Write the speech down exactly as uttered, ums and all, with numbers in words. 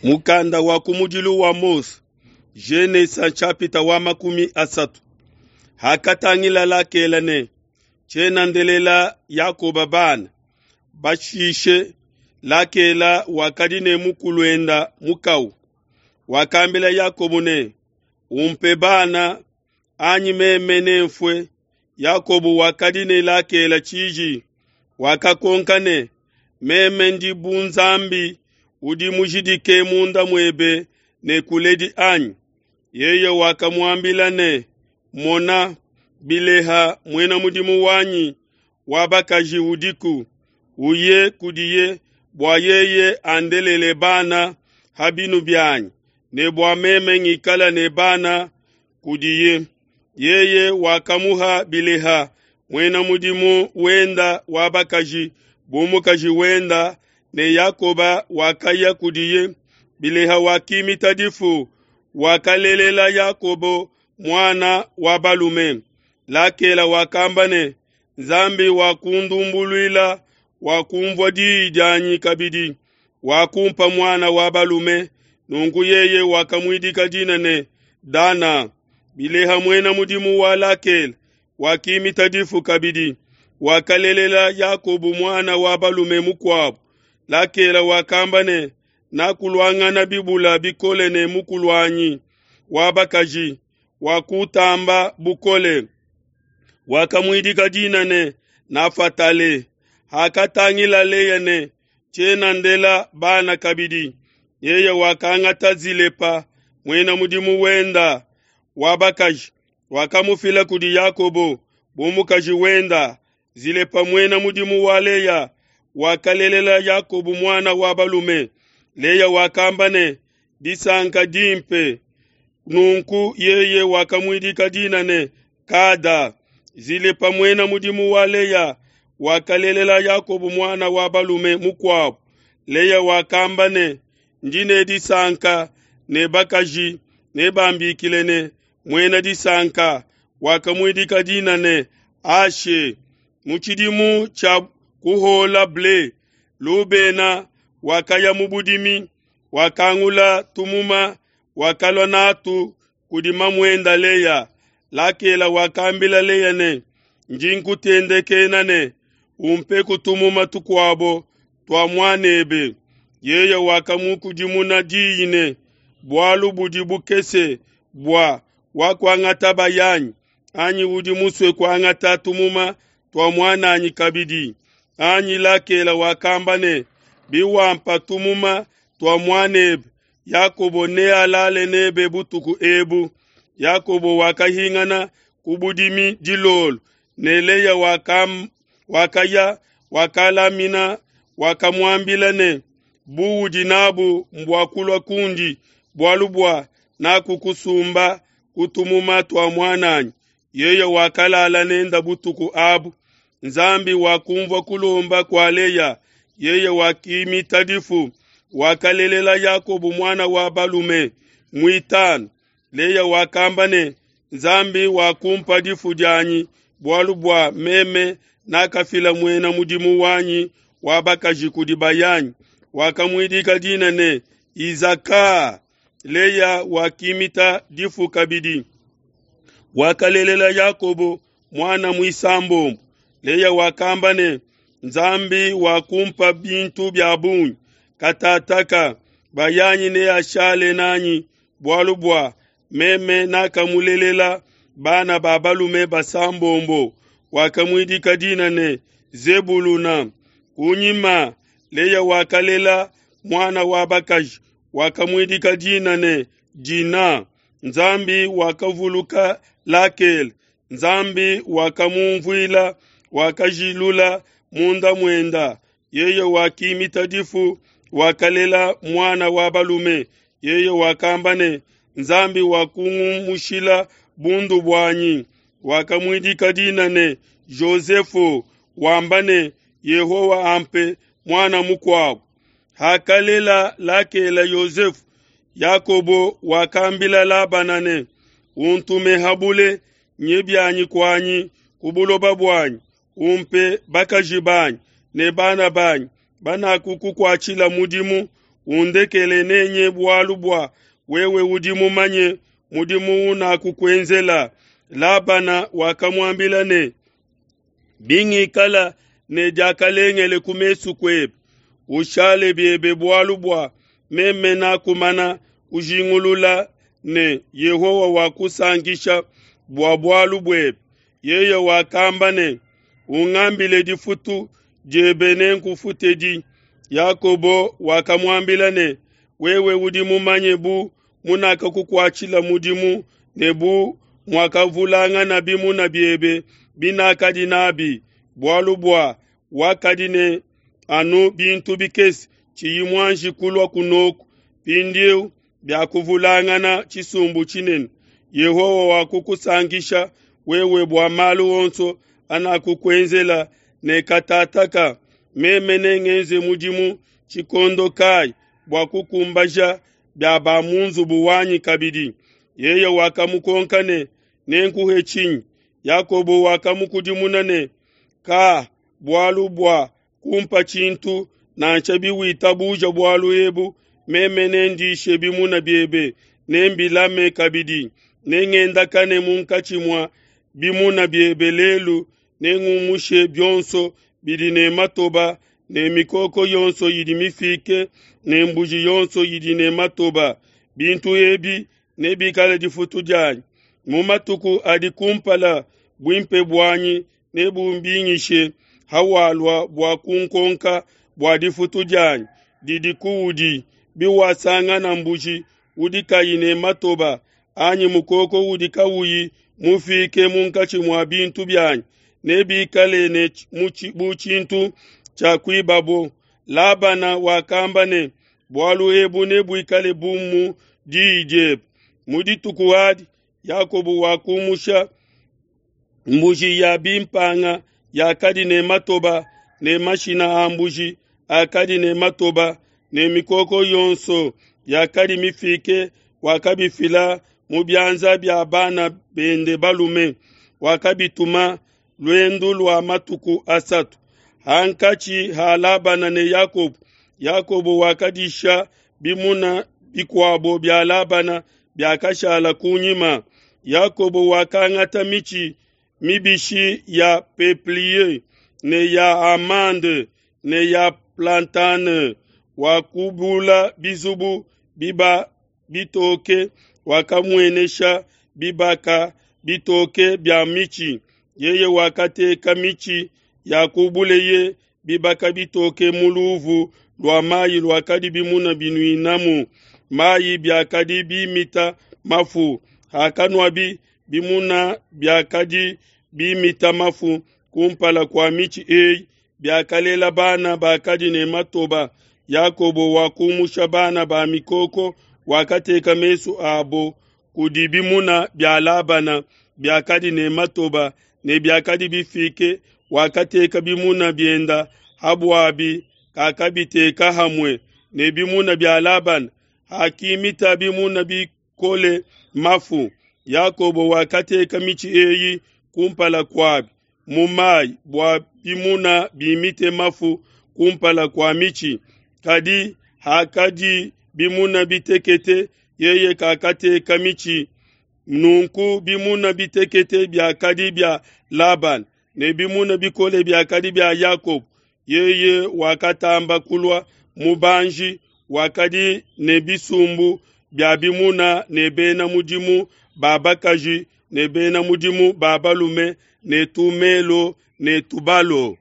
Mukanda wa kumudilu wa Mose, Genesa chapita wa makumi asatu. Hakatangila Lakela ne tshiena ndelela Yakoba bana. Bashishe Lakela wakadi ne mukuluenda mukau. Wakambila Yakobo ne, umpe bana anyi meme nemfue. Yakobo wakadi ne Lakela tshiji, wakakonka ne, meme ndi bu Nzambi udi mujidike munda muebe ne kuledi anyi? Yeye wakamuambila ne, mona, Bileha muena mudimu wanyi wa bakaji udiku, uye kudiye bua yeye andelele bana ha binu bianyi, ne bua meme ngikala ne bana kudiye. Yeye wakamuha Bileha muena mudimu wenda wa bakaji bu mukaji wenda, ne Yakoba wakaya kudiye. Bileha wakimita difu, wakalelela Yakobo muana wa balume. Lakela wakamba ne, Nzambi wakundumbuluila, wakumvua diyi dianyi kabidi, wakumpa muana wa balume. Nunku yeye wakamuidika dina ne Dana. Bileha muena mudimu wa Lakela wakimita difu kabidi, wakalelela Yakobo muana wa balume mukuabu. Lakela wakamba ne, nakuluangana bibula bikole ne mukuluanyi wa bakaji, wakutamba bukole. Wakamuidika dina ne Nafatale. Hakatangila Leya ne tshiena ndela bana kabidi, yeye wakangata Zilepa muena mudimu wenda wa bakaji, wakamufila kudi Yakobo bu mukaji wenda. Zilepa muena mudimu wa Leya wakalelela Yakobo muana wa balume. Leya wakamba ne, disanka dimpe. Nunku yeye wakamuidika dina ne Kada. Zilepa muena mudimu wa Leya wakalelela Yakobo muana wa balume mukuabu. Leya wakamba ne, ndi ne disanka ne bakaji ne bambikile ne muena disanka. Wakamuidika dina ne Ashe. Mu tshidimu tshia kuhola ble, Lubena wakaya mu budimi, wakangula tumuma, wakalua natu kudi mamuenda Leya. Lakela wakambila Leya ne, ndi nkutendekena ne umpe tumuma tukuabo tua muanebe. Yeye wakamukudimuna diyi ne, bualu budi bukese bua wakuangata bayanyi, anyi udi musue kuangata tumuma tua muananyi kabidi anyi? Lakela wakamba ne, biwampa tumuma tua muanebe, Yakobo nealale nebe butuku ebu. Yakobo wakahingana ku budimi dilolo, ne Leya wakam, wakaya wakalamina, wakamuambila ne, buudi nabu mbua kulua kundi, bualu bua nakukusumba ku tumuma tua muananyi. Yeye wakalala nenda butuku abu. Nzambi wakumvua kulomba kua Leya, yeye wakimita difu, wakalelela Yakobo muana wa balume muitanu. Leya wakamba ne, Nzambi wakumpa difu dianyi, bualu bua meme nakafila muena mudimu wanyi wa bakaji kudi bayanyi. Wakamuidika dina ne Izaka. Leya wakimita difu kabidi, wakalelela Yakobo muana muisambombo. Leya wakamba ne, Nzambi wakumpa bintu bia bungi, katataka bayanyi neashale nanyi, bualu bua meme nakamulelela bana ba balume basambombo. Wakamuidika dina ne Zebuluna. Kunyima Leya wakalela muana wa bakaji, wakamuidika dina ne Dina. Nzambi wakavuluka Lakele, Nzambi wakamumvuila, wakajilula munda muenda. Yeye wakimita difu, wakalela muana wa balume. Yeye wakamba ne, Nzambi wakungumushila bundu buanyi. Wakamuidika dina ne Josefu, wamba ne, Yehowa ampe muana mukuabu. Hakalela Lakela Yosefu, Yakobo wakambila Labana ne, untume habule nye bianyi kuanyi ku buloba buanyi, umpe bakaji banyi ne bana banyi banakukukuatshila mudimu, Undekele nenye bualu bua wewe udi mumanye mudimu unakukuenzela. Labana wakamuambila ne, Bingikala ne diakalengele ku mesu kuebe, ushale biebe bualu bua meme nakumana kujingulula ne Yehowa wakusankisha bua bualu buebe. Yeye wakamba ne, Ungambile difutu diebe nenkufutedi. Yakobo wakamuambila ne, Wewe udi mumanye bu munakakukuatshila mudimu ne bu muakavulangana bimuna biebe binakadi nabi, bualu bua wakadi ne anu bintu bikese, tshiyi muanji kulua kunoku. Mpindieu biakuvulangana tshisumbu tshinene. Yehowa wakukusankisha wewe bua malu onso anakukuenzela ne katataka. Meme nengenze mudimu tshikondo kayi bua kukumbaja bia ba mu nzubu wanyi kabidi? Yeye wakamukonka ne, Nenkuhe tshinyi? Yakobo wakamukudimuna ne, Ka bualu bua kumpa tshintu, nansha biwitabuja bualu ebu, meme nendishe bimuna biebe, nembilame kabidi. Nengendakane munkatshi mua bimuna biebe lelu, nengumushe bionso bidi ne matoba ne mikoko yonso idi mifike ne mbuji yonso idi ne matoba. Bintu ebi nebikale difutu dianyi. Mu matuku adi kumpala buimpe buanyi nebumbingishe hawalua bua kunkonka bua difutu dianyi didi kuudi. Biwasangana mbuji udi kayi ne matoba anyi mukoko udi kawuyi mufike munkatshi mua bintu bianyi, nebikale ne bu tshintu tshia kuibabo. Labana wakamba ne, Bualu ebu nebuikale bu mu diyi diebe. Mu dituku adi Yakobo wakumusha mbuji ya bimpanga yakadi ne matoba ne mashina a mbuji akadi ne matoba ne mikoko yonso yakadi mifike, wakabifila mu bianza bia bana bende balume, wakabituma luendu lua matuku asatu. Hankatshi ha Labana ne Yakobo, Yakobo wakadisha bimuna bikuabo bia Labana biakashala kunyima. Yakobo wakangata mitshi mibishi ya peuplier ne ya amande ne ya platane, wakubula bizubu biba bitoke, wakamuenesha bibaka bitoke bia mitshi. Yeye wakateka mitshi yakubuleye bibaka bitoke mu luvu lua mayi luakadi bimuna binuinamu mayi biakadi bimita mafu. Hakanuabi bimuna biakadi bimita mafu kumpala kua mitshi eyi, biakalela bana bakadi ne matoba. Yakobo wakumusha bana ba mikoko, wakateka mesu abo kudi bimuna bia Labana biakadi ne matoba ne biakadi bifike, wakateka bimuna bienda habuabi, kakabiteka hamwe ne bimuna bia Labana. Hakimita bimuna bikole mafu, Yakobo wakateka mitshi eyi kumpala kuabi mu mayi bua bimuna bimite mafu kumpala kua mitshi. Kadi hakadi bimuna bitekete, yeye kakateka mitshi. Nunku bimuna bitekete biakadi bia Labana ne bimuna bikole biakadi bia Yakobo. Yeye wakatamba kulua mubanji, wakadi ne bisumbu bia bimuna ne bena mudimu ba bakaji ne bena mudimu ba balume ne tumelo ne tubalo.